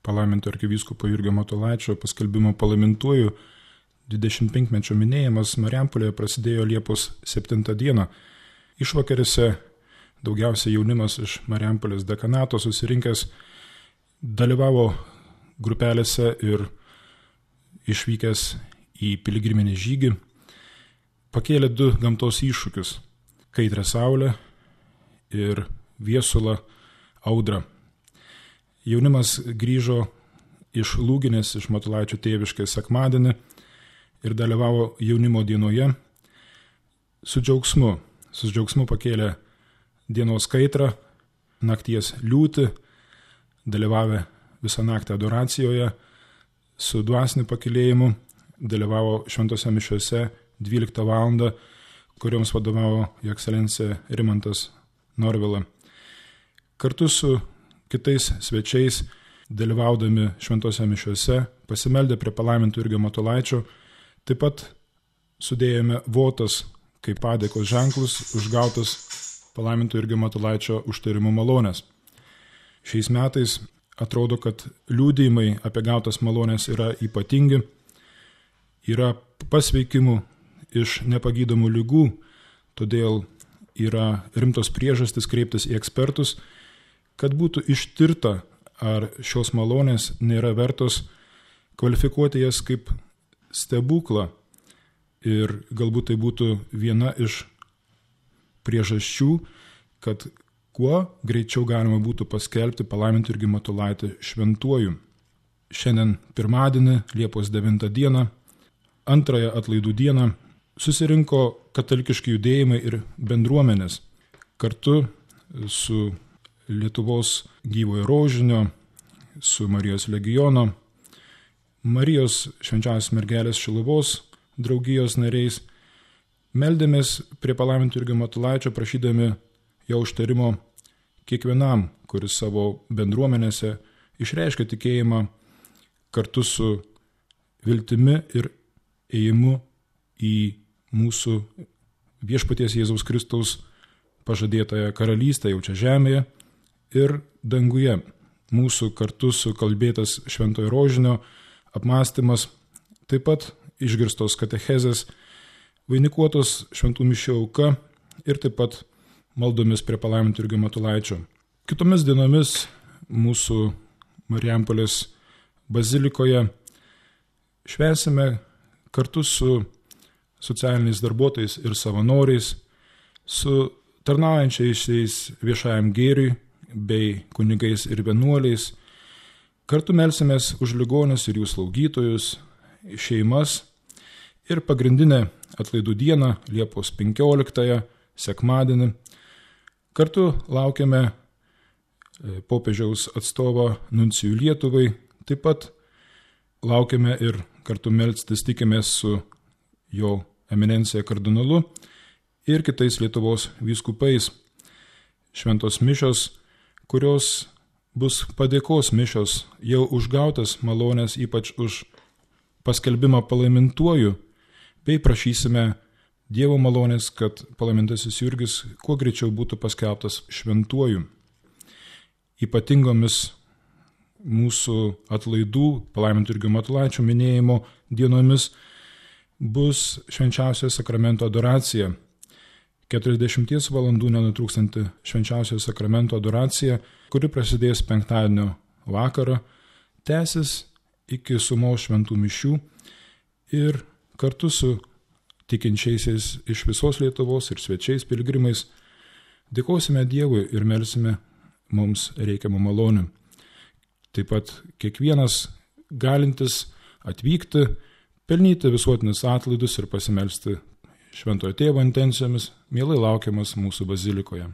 palaiminto arkivyskupo Jurgio Matulaičio paskelbimo palaimintuoju 25-mečio minėjimas Marijampolėje prasidėjo Liepos 7 dieną. Išvakarėse daugiausiai jaunimas iš Marijampolės dekanato susirinkęs dalyvavo grupelėse ir išvykęs į piligriminį žygį pakėlė du gamtos iššūkius – kaitrą saulę ir viesulą audrą. Jaunimas grįžo iš Lūginės, iš Matulaičio tėviškės sekmadienį ir dalyvavo jaunimo dienoje su džiaugsmu. Su džiaugsmu pakėlė dienos kaitrą, nakties liūtį, dalyvavę visą naktį adoracijoje, su dvasiniu pakylėjimu, dalyvavo šventose mišiose 12 valandą, kurioms vadovavo Jo ekscelencija Rimantas Norvila. Kartu su kitais svečiais, dalyvaudami šventose mišiose, pasimeldę prie palaiminto Jurgio Matulaičio, taip pat sudėjome votas kaip padėkos ženklus užgautas palaiminto Jurgio Matulaičio užtarimų malonės. Šiais metais atrodo, kad liudijimai apie gautas malonės yra ypatingi, yra pasveikimų iš nepagydomų ligų, todėl yra rimtos priežastys kreiptis į ekspertus, kad būtų ištirta, ar šios malonės nėra vertos kvalifikuoti jas kaip stebuklą ir galbūt tai būtų viena iš priežasčių, kad kuo greičiau galima būtų paskelbti palaiminto Jurgį Matulaitį šventuoju. Šiandien pirmadienį, Liepos 9 dieną, antrąją atlaidų dieną, susirinko katalikiški judėjimai ir bendruomenės kartu su Lietuvos gyvojo rožinio, su Marijos legiono, Marijos švenčiausios mergelės Šiluvos draugijos nariais, meldėmės prie palaiminto Jurgio Matulaičio, prašydami jo užtarimo kiekvienam, kuris savo bendruomenėse išreiškia tikėjimą kartu su viltimi ir ėjimu į mūsų viešpaties Jėzaus Kristaus pažadėtąją karalystę jau čia žemėje ir danguje. Mūsų kartu sukalbėtas šventojo rožinio apmąstymas, taip pat išgirstos katechezės, vainikuotos šventų mišių auka ir taip pat maldomis prie palaiminto Jurgio Matulaičio. Kitomis dienomis mūsų Marijampolės bazilikoje švęsime kartu su socialiniais darbuotojais ir savanoriais, su tarnaujančiais viešajam gėriui bei kunigais ir vienuoliais. Kartu melsimės už ligonius ir jų slaugytojus, šeimas ir pagrindinę atlaidų dieną, Liepos 15, sekmadienį. Kartu laukiame popiežiaus atstovo nuncijų Lietuvai, taip pat laukiame ir kartu melstis tikimės su jo eminencija kardinolu ir kitais Lietuvos vyskupais. Šventos mišios, kurios bus padėkos mišios, jau užgautas malonės, ypač už paskelbimą palaimintuoju, bei prašysime Dievo malonės, kad palaimintasis Jurgis kuo greičiau būtų paskelbtas šventuoju. Ypatingomis mūsų atlaidų palaiminto Jurgio Matulaičio minėjimo dienomis bus švenčiausiojo sakramento adoracija. 40 valandų nenutrūkstanti švenčiausiojo sakramento adoracija, kuri prasidės penktadienio vakarą, tęsis iki sumos šventų mišių ir kartu su tikinčiaisiais iš visos Lietuvos ir svečiais piligrimais dėkosime Dievui ir melsime mums reikiamų malonių. Taip pat kiekvienas galintis atvykti, pelnyti visuotinius atlaidus ir pasimelsti Šventojo Tėvo intencijomis, mielai laukiamas mūsų bazilikoje.